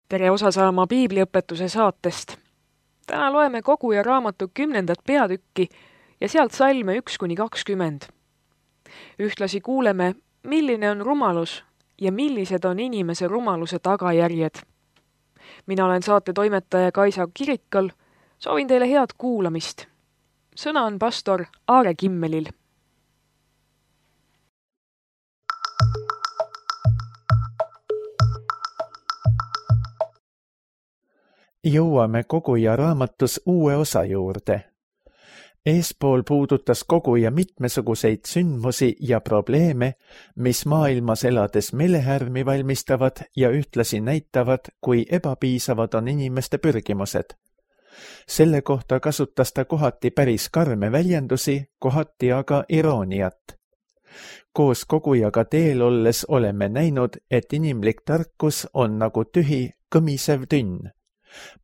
Tere osa saama piibliõpetuse saatest. Täna loeme Koguja raamatu 10. peatükki ja sealt salme 1–20. Ühtlasi kuuleme, milline on rumalus ja millised on inimese rumaluse tagajärjed. Mina olen saate toimetaja Kaisa Kirikal. Soovin teile head kuulamist. Sõna on pastor Aare Kimmelil. Jõuame Koguja raamatus uue osa juurde. Eespool puudutas Koguja mitmesuguseid sündmusi ja probleeme, mis maailmas elades meelehärmi valmistavad ja ühtlasi näitavad, kui ebapiisavad on inimeste pürgimused. Selle kohta kasutas ta kohati päris karme väljendusi, kohati aga irooniat. Koos Kogujaga teel olles oleme näinud, et inimlik tarkus on nagu tühi, kõmisev tünn.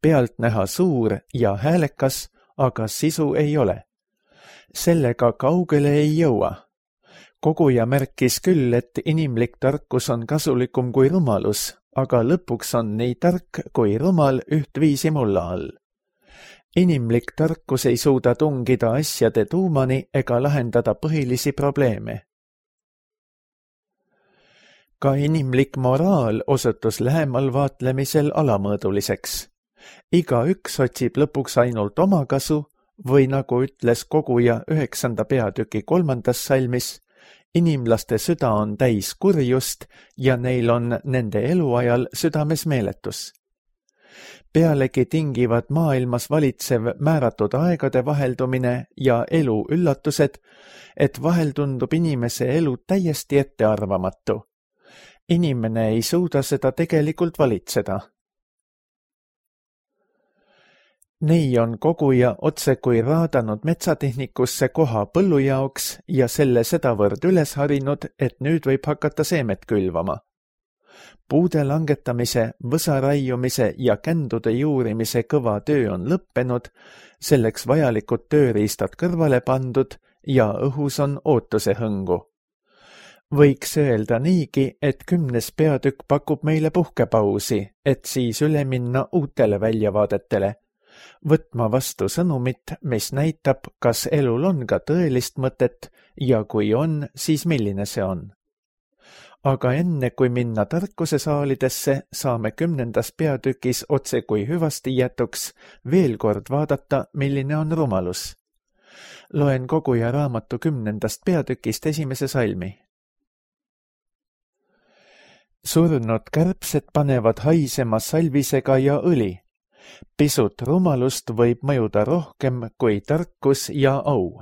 Pealt näha suur ja häälekas, aga sisu ei ole. Sellega kaugele ei jõua. Koguja märkis küll, et inimlik tarkus on kasulikum kui rumalus, aga lõpuks on nii tark kui rumal ühtviisi mulla all. Inimlik tarkus ei suuda tungida asjade tuumani ega lahendada põhilisi probleeme. Ka inimlik moraal osutus lähemal vaatlemisel alamõõduliseks. Iga üks otsib lõpuks ainult oma kasu või nagu ütles Koguja 9. peatüki 3. salmis, inimlaste süda on täis kurjust ja neil on nende eluajal südames meeletus. Pealegi tingivad maailmas valitsev määratud aegade vaheldumine ja elu üllatused, et vahel tundub inimese elu täiesti ettearvamatu. Inimene ei suuda seda tegelikult valitseda. Nii on Koguja otse kui raadanud metsatehnikusse koha põllu jaoks ja selle sedavõrd üles harinud, et nüüd võib hakata seemet külvama. Puude langetamise, võsa raiumise ja kändude juurimise kõva töö on lõppenud, selleks vajalikud tööriistad kõrvale pandud ja õhus on ootuse hõngu. Võiks öelda niigi, et 10. peatükk pakub meile puhkepausi, et siis üle minna uutele väljavaadetele. Võtma vastu sõnumit, mis näitab, kas elul on ka tõelist mõtet ja kui on, siis milline see on. Aga enne kui minna tarkuse saalidesse, saame 10. peatükis otse kui hüvasti jätuks veel kord vaadata, milline on rumalus. Loen Koguja raamatu 10. peatükist 1. salmi. Surnud kärbsed panevad haisema salvisega ja õli. Pisut rumalust võib mõjuda rohkem kui tarkus ja au.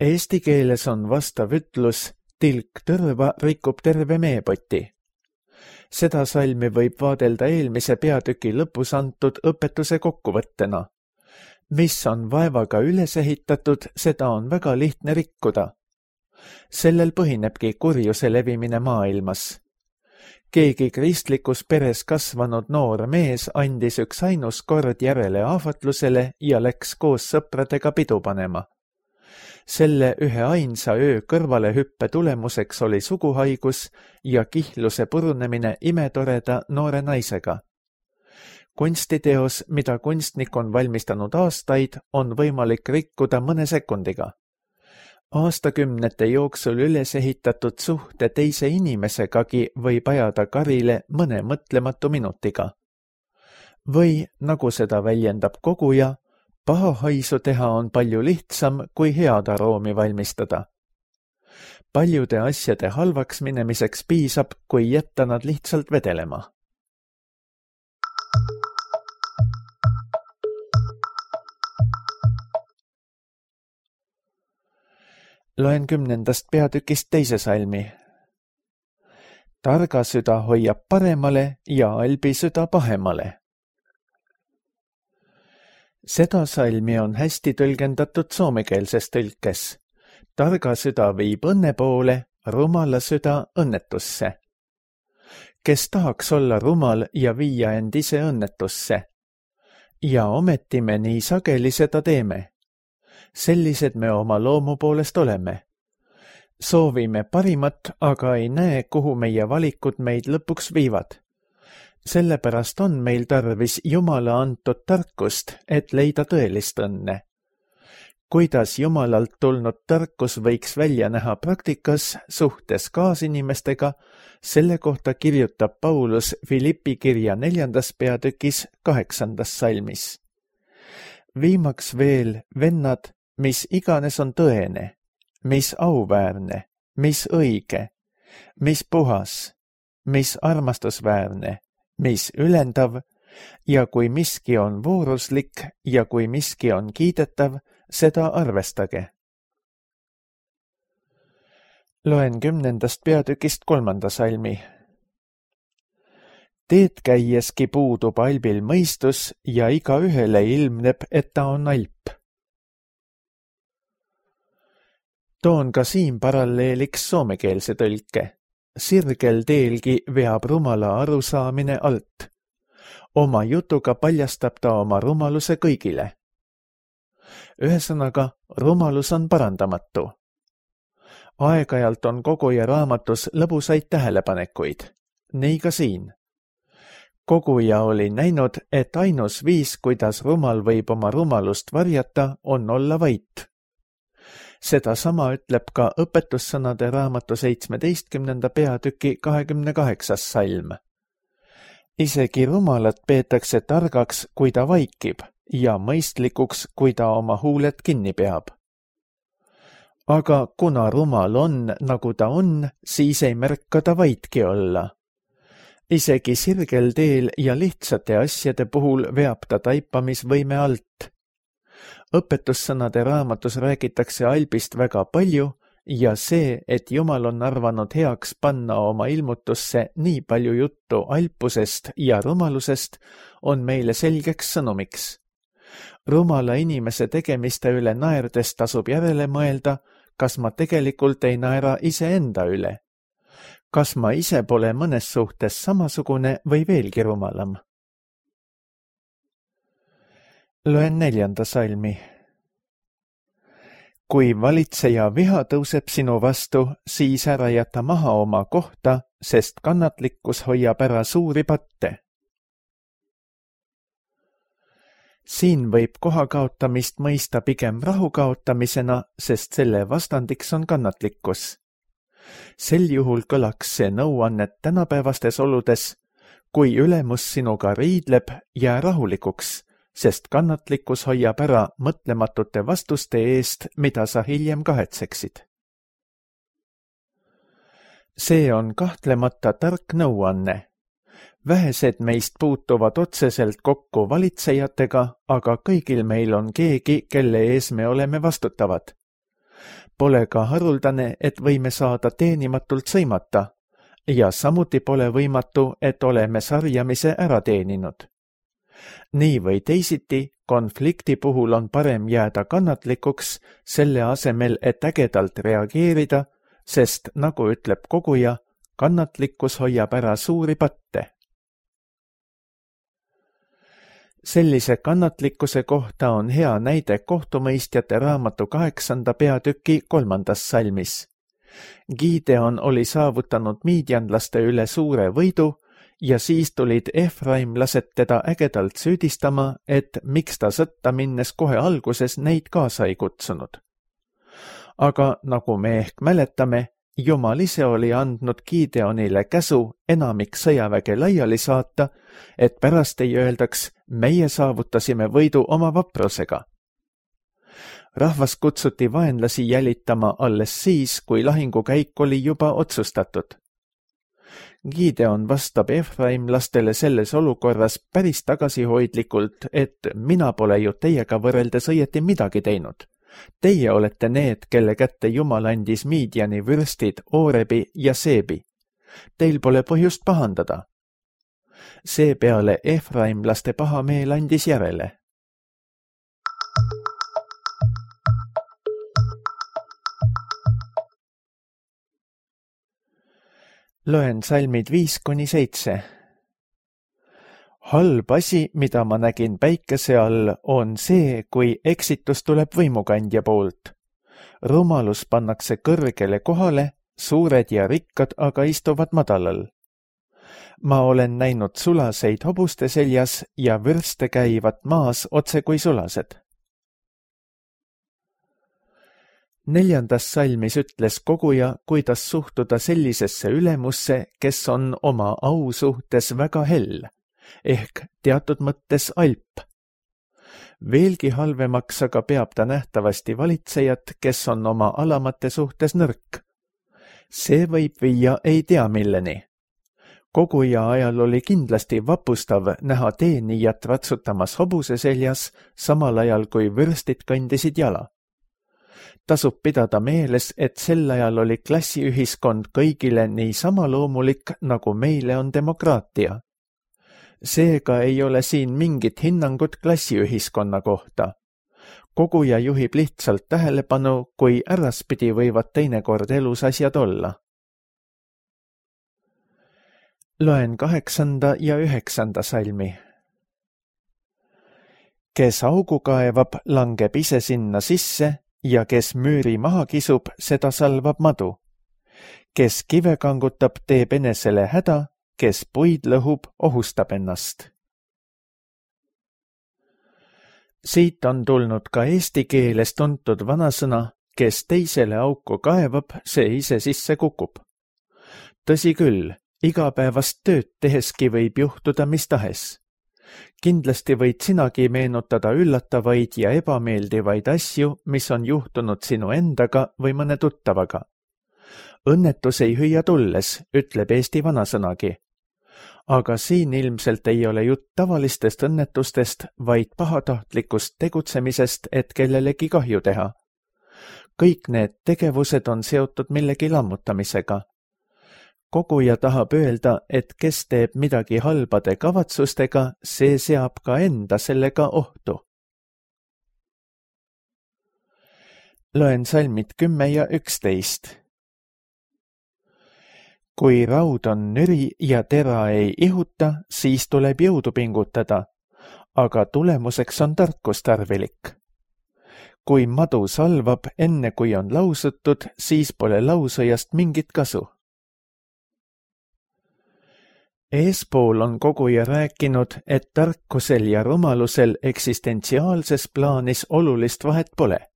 Eesti keeles on vastav ütlus, tilk tõrva rikub terve meepoti. Seda salmi võib vaadelda eelmise peatüki lõpus antud õpetuse kokkuvõttena. Mis on vaevaga üles ehitatud, seda on väga lihtne rikkuda. Sellel põhinebki kurjuse levimine maailmas. Keegi kristlikus peres kasvanud noor mees andis üks ainus kord järele ahvatlusele ja läks koos sõpradega pidu panema. Selle ühe ainsa öö kõrvalehüppe tulemuseks oli suguhaigus ja kihluse purunemine imetoreda noore naisega. Kunstiteos, mida kunstnik on valmistanud aastaid, on võimalik rikkuda mõne sekundiga. Aastakümnete jooksul üles ehitatud suhte teise inimesegagi võib ajada karile mõne mõtlematu minutiga. Või, nagu seda väljendab Koguja, paha haisu teha on palju lihtsam kui head aroomi valmistada. Paljude asjade halvaks minemiseks piisab, kui jätta nad lihtsalt vedelema. Loen 10. peatükist 2. salmi. Targa süda hoiab paremale ja albi süda pahemale. Seda salmi on hästi tõlgendatud soomekeelses tõlkes. Targa süda viib õnne poole, rumala süda õnnetusse. Kes tahaks olla rumal ja viia end ise õnnetusse? Ja ometi me nii sageli seda teeme. Sellised me oma loomu poolest oleme. Soovime parimat, aga ei näe, kuhu meie valikud meid lõpuks viivad. Sellepärast on meil tarvis Jumala antud tarkust, et leida tõelist õnne. Kuidas Jumalalt tulnud tarkus võiks välja näha praktikas suhtes kaasinimestega, selle kohta kirjutab Paulus Filippi kirja 4. peatükis 8. salmis. Viimaks veel, vennad, mis iganes on tõene, mis auväärne, mis õige, mis puhas, mis armastusväärne, mis ülendav ja kui miski on vooruslik ja kui miski on kiidetav, seda arvestage. Loen 10. peatükist 3. salmi. Teed käieski puudub albil mõistus ja igaühele ilmneb, et ta on alp. Toon ka siin paralleeliks soomekeelse tõlke. Sirgel teelgi veab rumala arusaamine alt. Oma jutuga paljastab ta oma rumaluse kõigile. Ühesõnaga, rumalus on parandamatu. Aeg-ajalt on koguja raamatus lõbusaid tähelepanekuid. Nii ka siin. Koguja oli näinud, et ainus viis, kuidas rumal võib oma rumalust varjata, on olla vait. Seda sama ütleb ka õpetussõnade raamatu 17. peatüki 28. salm. Isegi rumalat peetakse targaks, kui ta vaikib, ja mõistlikuks, kui ta oma huuled kinni peab. Aga kuna rumal on, nagu ta on, siis ei märka ta vaitki olla. Isegi sirgel teel ja lihtsate asjade puhul veab ta taipamisvõime alt. Õpetussõnade raamatus räägitakse albist väga palju ja see, et Jumal on arvanud heaks panna oma ilmutusse nii palju juttu alpusest ja rumalusest, on meile selgeks sõnumiks. Rumala inimese tegemiste üle naerdes tasub järele mõelda, kas ma tegelikult ei naera iseenda üle. Kas ma ise pole mõnes suhtes samasugune või veelgi rumalam? Loen 4. salmi. Kui valitseja viha tõuseb sinu vastu, siis ära jäta maha oma kohta, sest kannatlikkus hoiab ära suuri patte. Siin võib koha kaotamist mõista pigem rahu kaotamisena, sest selle vastandiks on kannatlikkus. Sel juhul kõlaks see nõuannet tänapäevastes oludes, kui ülemus sinuga riidleb, jää rahulikuks, sest kannatlikkus hoiab ära mõtlematute vastuste eest, mida sa hiljem kahetseksid. See on kahtlemata tark nõuanne. Vähesed meist puutuvad otseselt kokku valitsejatega, aga kõigil meil on keegi, kelle ees me oleme vastutavad. Pole ka haruldane, et võime saada teenimatult sõimata ja samuti pole võimatu, et oleme sarjamise ära teeninud. Nii või teisiti, konflikti puhul on parem jääda kannatlikuks selle asemel, et ägedalt reageerida, sest nagu ütleb koguja, kannatlikkus hoiab ära suuri patte. Sellise kannatlikkuse kohta on hea näide kohtumõistjate raamatu 8. peatüki 3. salmis. Gideon oli saavutanud miidjanlaste üle suure võidu ja siis tulid efraimlased teda ägedalt süüdistama, et miks ta sõtta minnes kohe alguses neid kaasa ei kutsunud. Aga nagu me ehk mäletame, Jumal ise oli andnud Gideonile käsu enamik sõjaväge laiali saata, et pärast ei öeldaks, meie saavutasime võidu oma vaprusega. Rahvas kutsuti vaenlasi jälitama alles siis, kui lahingukäik oli juba otsustatud. Gideon vastab efraimlastele selles olukorras päris tagasihoidlikult, et mina pole ju teiega võrreldes õieti midagi teinud. Teie olete need, kelle kätte Jumal andis Midiani vürstid Oorebi ja Seebi. Teil pole põhjust pahandada. Seepeale efraimlaste pahameel andis järele. Loen salmid 5-7. Halb asi, mida ma nägin päikese all, on see, kui eksitus tuleb võimukandja poolt. rumalus pannakse kõrgele kohale, suured ja rikkad aga istuvad madalal. Ma olen näinud sulaseid hobuste seljas ja vürste käivad maas otse kui sulased. 4. salmis ütles koguja, kuidas suhtuda sellisesse ülemusse, kes on oma au suhtes väga hell, ehk teatud mõttes alp. Veelgi halvemaks aga peab ta nähtavasti valitsejat, kes on oma alamate suhtes nõrk. See võib viia ei tea milleni. Koguja ajal oli kindlasti vapustav näha teenijat ratsutamas hobuse seljas, samal ajal kui vürstid kõndisid jala. Tasub pidada meeles, et sel ajal oli klassiühiskond kõigile nii sama loomulik, nagu meile on demokraatia. Seega ei ole siin mingit hinnangut klassiühiskonna kohta. Koguja juhib lihtsalt tähelepanu, kui äraspidi võivad teinekord elus asjad olla. Loen 8. ja 9. salmi. Kes augu kaevab, langeb ise sinna sisse ja kes müüri maha kisub, seda salvab madu. Kes kive kangutab, teeb enesele häda, kes puid lõhub, ohustab ennast. Siit on tulnud ka eesti keeles tuntud vanasõna, kes teisele auku kaevab, see ise sisse kukub. Tõsi küll, igapäevast tööd teheski võib juhtuda mis tahes. Kindlasti võid sinagi meenutada üllatavaid ja ebameeldivaid asju, mis on juhtunud sinu endaga või mõne tuttavaga. Õnnetus ei hüüa tulles, ütleb eesti vanasõnagi. Aga siin ilmselt ei ole jutt tavalistest õnnetustest, vaid pahatahtlikust tegutsemisest, et kellelegi kahju teha. Kõik need tegevused on seotud millegi lammutamisega. Koguja tahab öelda, et kes teeb midagi halbade kavatsustega, see seab ka enda sellega ohtu. Loen salmid 10 ja 11. Kui raud on nüri ja tera ei ihuta, siis tuleb jõudu pingutada, aga tulemuseks on tarkus tarvilik. Kui madu salvab enne kui on lausutud, siis pole lausõjast mingit kasu. Eespool on koguja rääkinud, et tarkusel ja rumalusel eksistentsiaalses plaanis olulist vahet pole.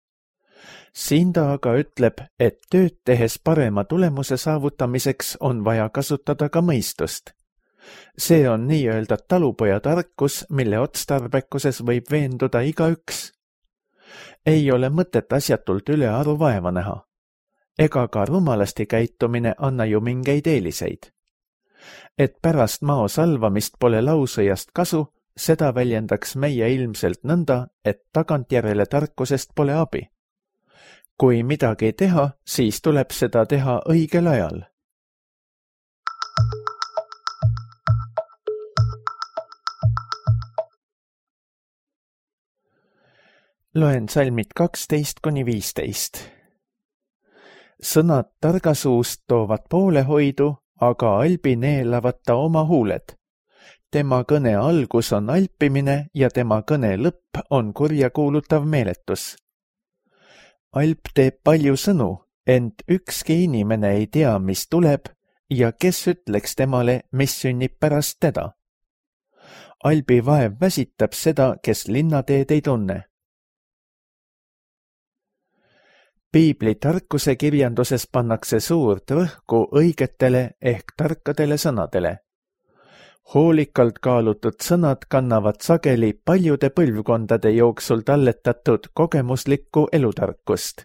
Siin ta aga ütleb, et tööd tehes parema tulemuse saavutamiseks on vaja kasutada ka mõistust. See on nii-öelda talupoja tarkus, mille otstarbekuses võib veenduda igaüks. Ei ole mõtet asjatult ülearu vaeva näha. Ega ka rumalasti käitumine anna ju mingeid eeliseid. Et pärast mao salvamist pole lausõjast kasu, seda väljendaks meie ilmselt nõnda, et tagantjärele tarkusest pole abi. Kui midagi teha, siis tuleb seda teha õigel ajal. Loen salmid 12–15. Sõnad targasuust toovad poolehoidu, aga albi neelavad ta oma huuled. Tema kõne algus on alpimine ja tema kõne lõpp on kurjakuulutav meeletus. Alp teeb palju sõnu, ent ükski inimene ei tea, mis tuleb ja kes ütleks temale, mis sünnib pärast teda. Albi vaev väsitab seda, kes linnateed ei tunne. Piibli tarkuse kirjanduses pannakse suurt rõhku õigetele ehk tarkadele sõnadele. Hoolikalt kaalutud sõnad kannavad sageli paljude põlvkondade jooksul talletatud kogemuslikku elutarkust.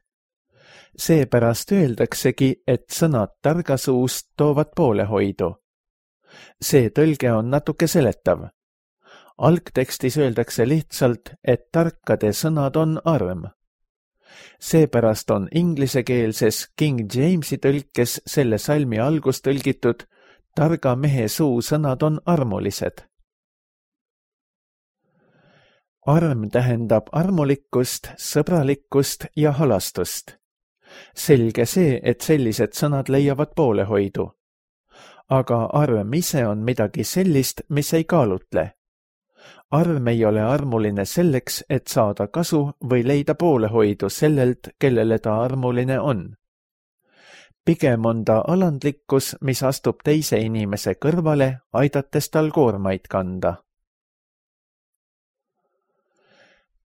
Seepärast öeldaksegi, et sõnad targasuust toovad poolehoidu. See tõlge on natuke seletav. Algtekstis öeldakse lihtsalt, et tarkade sõnad on arm. Seepärast on inglisekeelses King Jamesi tõlkes selle salmi algus tõlgitud targa mehe suu sõnad on armulised. Arm tähendab armulikkust, sõbralikkust ja halastust. Selge see, et sellised sõnad leiavad poolehoidu. Aga arm ise on midagi sellist, mis ei kaalutle. arm ei ole armuline selleks, et saada kasu või leida poolehoidu sellelt, kellele ta armuline on. Pigem on ta alandlikkus, mis astub teise inimese kõrvale, aidates tal koormaid kanda.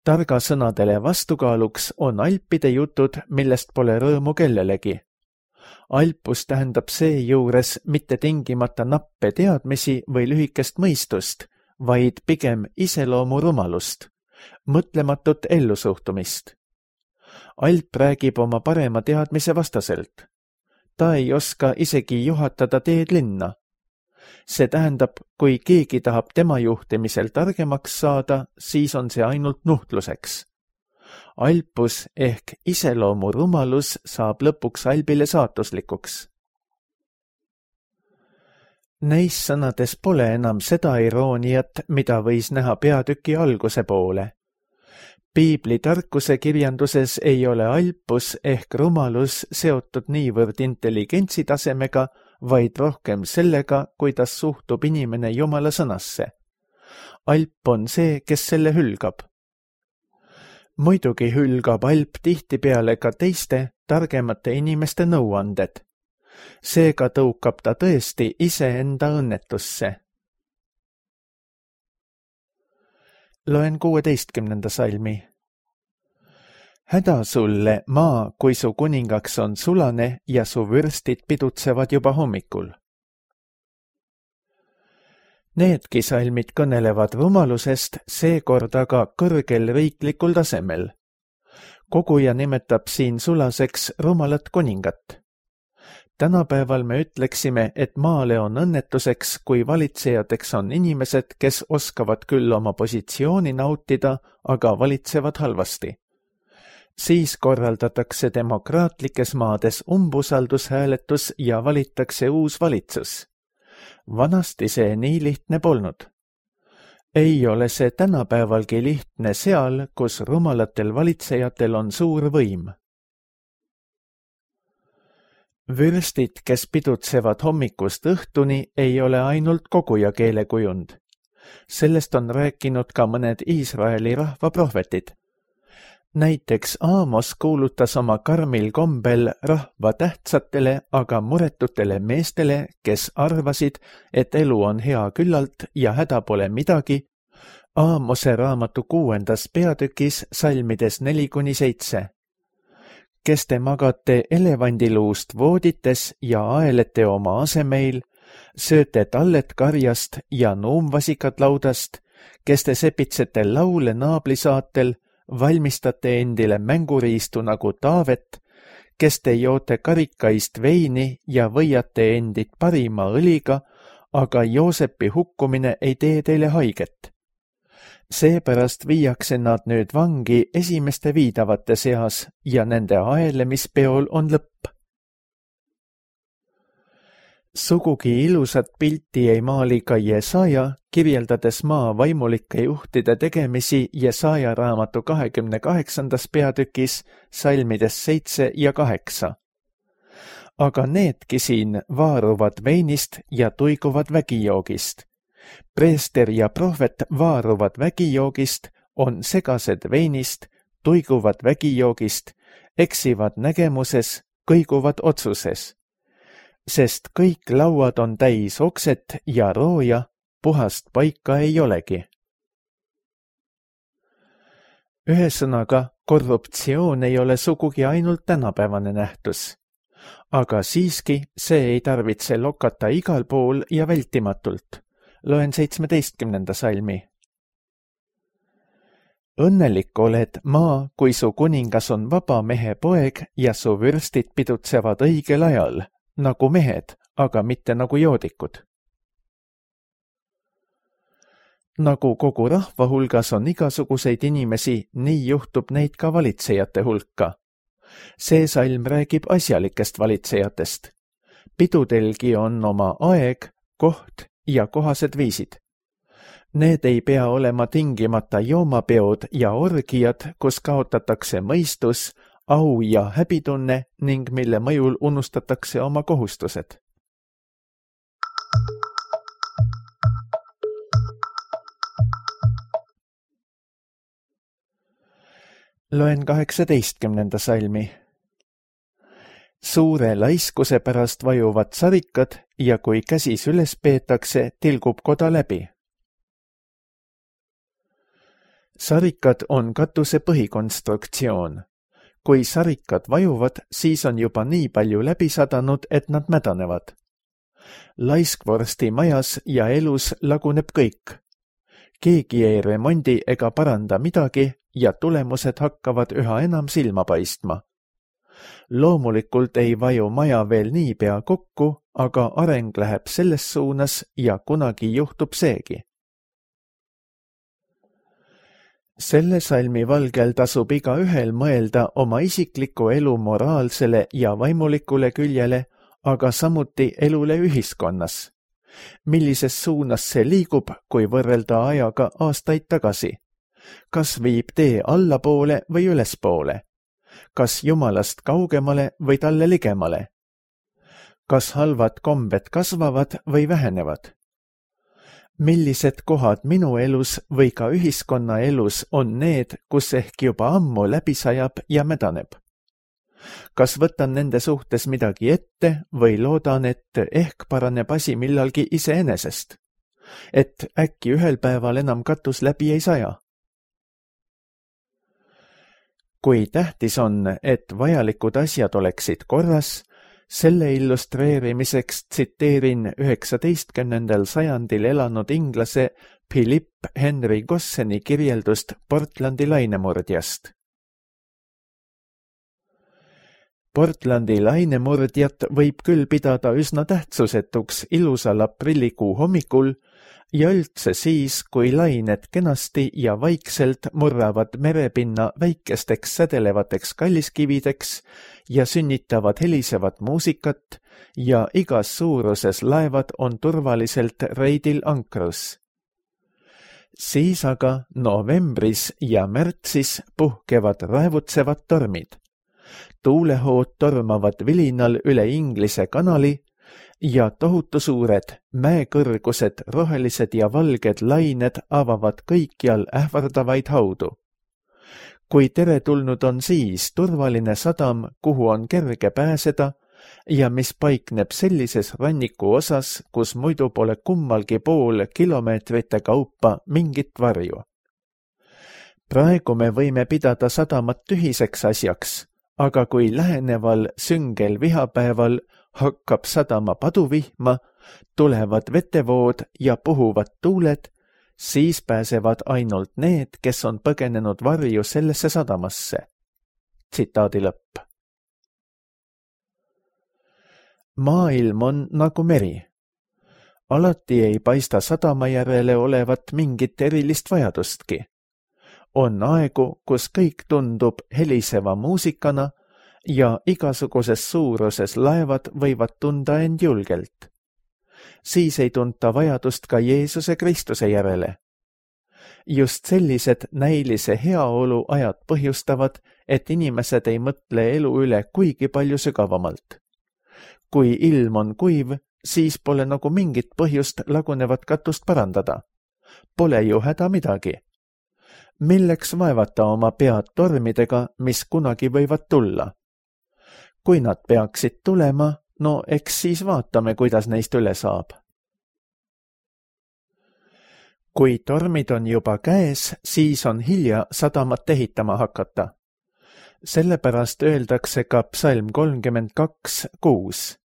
Targa sõnadele vastukaaluks on alpide jutud, millest pole rõõmu kellelegi. Alpus tähendab seejuures mitte tingimata nappe teadmisi või lühikest mõistust, vaid pigem iseloomu rumalust, mõtlematut ellusuhtumist. Alp räägib oma parema teadmise vastaselt. Ta ei oska isegi juhatada teed linna. See tähendab, kui keegi tahab tema juhtimisel targemaks saada, siis on see ainult nuhtluseks. Alpus ehk iseloomu rumalus saab lõpuks albile saatuslikuks. Neis sõnades pole enam seda irooniat, mida võis näha peatüki alguse poole. Piibli tarkuse kirjanduses ei ole alpus ehk rumalus seotud niivõrd intelligentsi tasemega, vaid rohkem sellega, kuidas suhtub inimene Jumala sõnasse. Alp on see, kes selle hülgab. Muidugi hülgab alp tihtipeale ka teiste, targemate inimeste nõuanded. Seega tõukab ta tõesti iseenda õnnetusse. Loen 16. salmi. Häda sulle, maa, kui su kuningaks on sulane ja su vürstid pidutsevad juba hommikul. Needki salmid kõnelevad rumalusest, seekord aga kõrgel riiklikul tasemel. Koguja nimetab siin sulaseks rumalat kuningat. Tänapäeval me ütleksime, et maale on õnnetuseks, kui valitsejateks on inimesed, kes oskavad küll oma positsiooni nautida, aga valitsevad halvasti. Siis korraldatakse demokraatlikes maades umbusaldushääletus ja valitakse uus valitsus. Vanasti see nii lihtne polnud. Ei ole see tänapäevalgi lihtne seal, kus rumalatel valitsejatel on suur võim. Vürstid, kes pidutsevad hommikust õhtuni, ei ole ainult koguja keelekujund. Sellest on rääkinud ka mõned Iisraeli rahva prohvetid. Näiteks Aamos kuulutas oma karmil kombel rahva tähtsatele, aga muretutele meestele, kes arvasid, et elu on hea küllalt ja häda pole midagi, Aamose raamatu 6. peatükis salmides 4-7. Kes te magate elevandiluust voodites ja aelete oma asemeil, sööte tallet karjast ja nuumvasikad laudast, kes te sepitsete laule naablisaatel, valmistate endile mänguriistu nagu Taavet, kes te joote karikaist veini ja võiate endid parima õliga, aga Joosepi hukkumine ei tee teile haiget. Seepärast viiakse nad nüüd vangi esimeste viidavate seas ja nende aelemispeol on lõpp. Sugugi ilusat pilti ei maali ka Jesaja, kirjeldades maa vaimulike juhtide tegemisi Jesaja raamatu 28. peatükis salmides 7 ja 8. Aga needki siin vaaruvad veinist ja tuiguvad vägijoogist. Preester ja prohvet vaaruvad vägijoogist, on segased veinist, tuiguvad vägijoogist, eksivad nägemuses, kõiguvad otsuses. Sest kõik lauad on täis okset ja rooja, puhast paika ei olegi. Ühesõnaga, korruptsioon ei ole sugugi ainult tänapäevane nähtus. Aga siiski see ei tarvitse lokata igal pool ja vältimatult. Loen 17. salmi. Õnnelik oled, maa, kui su kuningas on vaba mehe poeg ja su vürstid pidutsevad õigel ajal, nagu mehed, aga mitte nagu joodikud. Nagu kogu rahva hulgas on igasuguseid inimesi, nii juhtub neid ka valitsejate hulka. See salm räägib asjalikest valitsejatest. Pidudelgi on oma aeg, koht ja kohased viisid. Need ei pea olema tingimata joomapeod ja orgiad, kus kaotatakse mõistus, au ja häbitunne ning mille mõjul unustatakse oma kohustused. Loen 18. salmi. Suure laiskuse pärast vajuvad sarikad ja kui käsis üles peetakse, tilgub koda läbi. Sarikad on katuse põhikonstruktsioon. Kui sarikad vajuvad, siis on juba nii palju läbi sadanud, et nad mädanevad. Laiskvorsti majas ja elus laguneb kõik. Keegi ei remondi ega paranda midagi ja tulemused hakkavad üha enam silma paistma. Loomulikult ei vaju maja veel niipea kokku, aga areng läheb selles suunas ja kunagi juhtub seegi. Selle salmi valgel tasub igaühel mõelda oma isikliku elu moraalsele ja vaimulikule küljele, aga samuti elule ühiskonnas. Millises suunas see liigub, kui võrrelda ajaga aastaid tagasi? Kas viib tee allapoole või ülespoole? Kas Jumalast kaugemale või talle ligemale? Kas halvad kombed kasvavad või vähenevad? Millised kohad minu elus või ka ühiskonna elus on need, kus ehk juba ammu läbi sajab ja mädaneb? Kas võtan nende suhtes midagi ette või loodan, et ehk paraneb asi millalgi iseenesest? Et äkki ühel päeval enam katus läbi ei saja? Kui tähtis on, et vajalikud asjad oleksid korras, selle illustreerimiseks tsiteerin 19. sajandil elanud inglase Philip Henry Gosseni kirjeldust Portlandi lainemurdjast. Portlandi lainemurdjat võib küll pidada üsna tähtsusetuks ilusal aprillikuu hommikul ja üldse siis, kui lained kenasti ja vaikselt murravad merepinna väikesteks sädelevateks kalliskivideks ja sünnitavad helisevat muusikat ja igas suuruses laevad on turvaliselt reidil ankrus. Siis aga novembris ja märtsis puhkevad raevutsevad tormid. Tuulehood tormavad vilinal üle Inglise kanali ja tohutu suured, mäekõrgused, rohelised ja valged lained avavad kõikjal ähvardavaid haudu. Kui teretulnud on siis turvaline sadam, kuhu on kerge pääseda ja mis paikneb sellises ranniku osas, kus muidu pole kummalgi pool kilomeetrite kaupa mingit varju. Praegu me võime pidada sadamat tühiseks asjaks, aga kui läheneval süngel vihapäeval hakkab sadama paduvihma, tulevad vetevood ja puhuvad tuuled, siis pääsevad ainult need, kes on põgenenud varju sellesse sadamasse. Tsitaadi lõpp. Maailm on nagu meri. Alati ei paista sadama järele olevat mingit erilist vajadustki. On aegu, kus kõik tundub heliseva muusikana ja igasuguses suuruses laevad võivad tunda end julgelt. Siis ei tunta vajadust ka Jeesuse Kristuse järele. Just sellised näilise heaolu ajad põhjustavad, et inimesed ei mõtle elu üle kuigi palju sügavamalt. Kui ilm on kuiv, siis pole nagu mingit põhjust lagunevat katust parandada. Pole ju häda midagi. Milleks vaevata oma pead tormidega, mis kunagi võivad tulla? Kui nad peaksid tulema, no eks siis vaatame, kuidas neist üle saab. Kui tormid on juba käes, siis on hilja sadamat ehitama hakata. Sellepärast öeldakse ka psalm 32:6.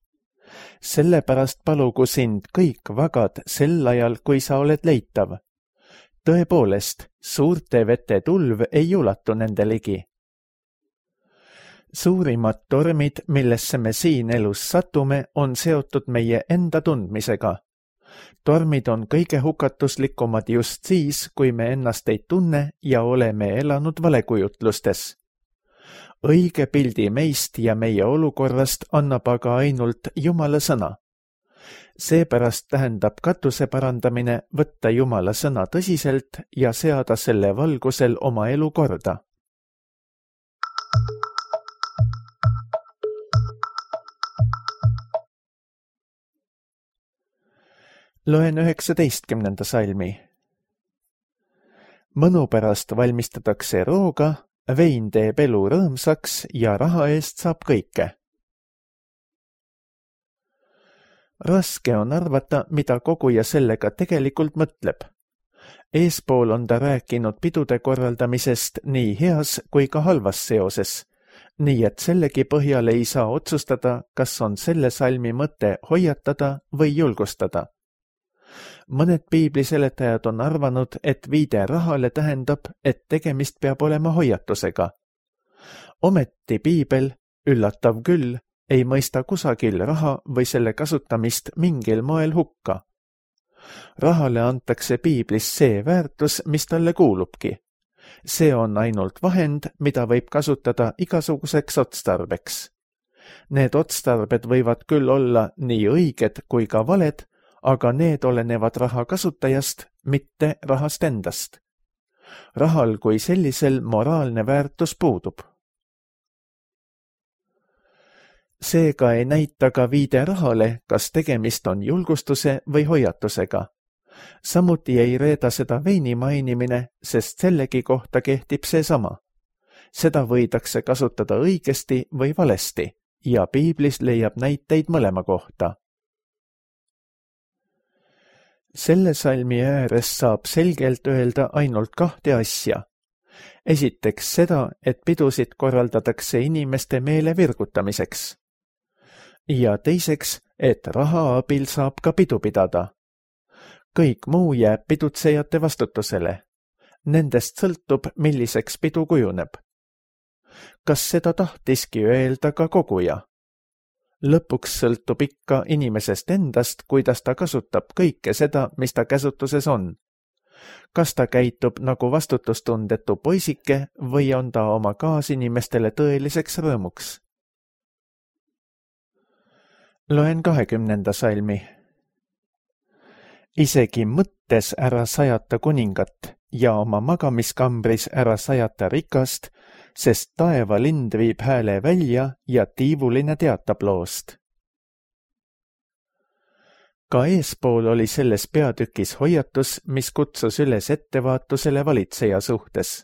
Sellepärast palugu sind kõik vagad sel ajal, kui sa oled leitav. Tõepoolest, suurte vete tulv ei ulatu nende ligi. Suurimad tormid, millesse me siin elus satume, on seotud meie enda tundmisega. Tormid on kõige hukatuslikumad just siis, kui me ennast ei tunne ja oleme elanud valekujutlustes. Õige pildi meist ja meie olukorrast annab aga ainult Jumala sõna. Seepärast tähendab katuse parandamine võtta Jumala sõna tõsiselt ja seada selle valgusel oma elu korda. Loen 19. salmi. Mõnu pärast valmistatakse rooga vein teeb elu rõõmsaks ja raha eest saab kõike. Raske on arvata, mida koguja sellega tegelikult mõtleb. Eespool on ta rääkinud pidude korraldamisest nii heas kui ka halvas seoses, nii et sellegi põhjal ei saa otsustada, kas on selle salmi mõte hoiatada või julgustada. Mõned piibliseletajad on arvanud, et viide rahale tähendab, et tegemist peab olema hoiatusega. Ometi piibel, üllatav küll, ei mõista kusagil raha või selle kasutamist mingil moel hukka. Rahale antakse piiblis see väärtus, mis talle kuulubki. See on ainult vahend, mida võib kasutada igasuguseks otstarbeks. Need otstarbed võivad küll olla nii õiged kui ka valed, aga need olenevad raha kasutajast, mitte rahast endast. Rahal kui sellisel moraalne väärtus puudub. Seega ei näita ka viide rahale, kas tegemist on julgustuse või hoiatusega. Samuti ei reeda seda veini mainimine, sest sellegi kohta kehtib seesama. Seda võidakse kasutada õigesti või valesti ja piiblis leiab näiteid mõlema kohta. Selle salmi ääres saab selgelt öelda ainult kahte asja. Esiteks seda, et pidusid korraldatakse inimeste meele virgutamiseks. Ja teiseks, et raha abil saab ka pidu pidada. Kõik muu jääb pidutsejate vastutusele. Nendest sõltub, milliseks pidu kujuneb. Kas seda tahtiski öelda ka koguja? Lõpuks sõltub ikka inimesest endast, kuidas ta kasutab kõike seda, mis ta käsutuses on. Kas ta käitub nagu vastutustundetu poisike või on ta oma kaasinimestele tõeliseks rõõmuks? Loen 20. salmi. Isegi mõttes ära sajata kuningat ja oma magamiskambris ära sajata rikast, sest taevalind viib hääle välja ja tiivuline teatab loost. Ka eespool oli selles peatükis hoiatus, mis kutsus üles ettevaatusele valitseja suhtes.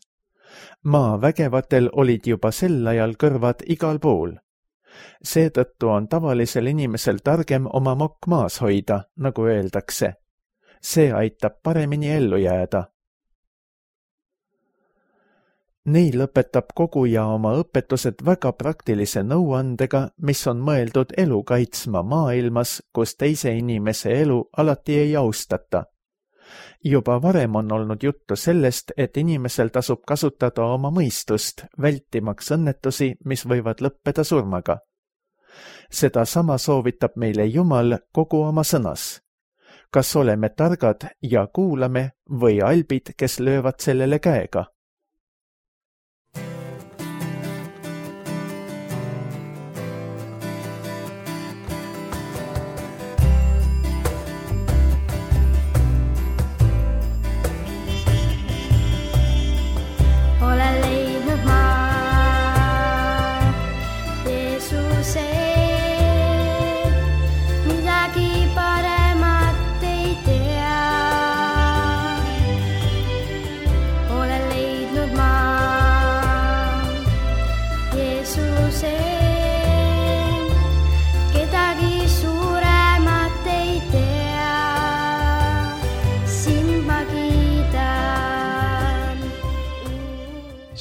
Maa vägevatel olid juba sel ajal kõrvad igal pool. Seetõttu on tavalisel inimesel targem oma mokk maas hoida, nagu öeldakse. See aitab paremini ellu jääda. Nii lõpetab koguja oma õpetused väga praktilise nõuandega, mis on mõeldud elu kaitsma maailmas, kus teise inimese elu alati ei austata. Juba varem on olnud juttu sellest, et inimesel tasub kasutada oma mõistust, vältimaks õnnetusi, mis võivad lõppeda surmaga. Seda sama soovitab meile Jumal kogu oma sõnas. Kas oleme targad ja kuulame või albid, kes löövad sellele käega?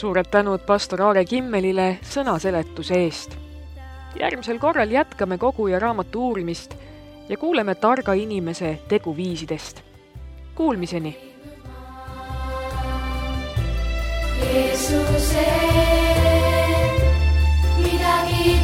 Suured tänud pastor Aare Kimmelile sõnaseletuse eest. Järgmisel korral jätkame koguja raamatu uurimist ja kuuleme targa inimese teguviisidest. Kuulmiseni! Jeesuse, midagi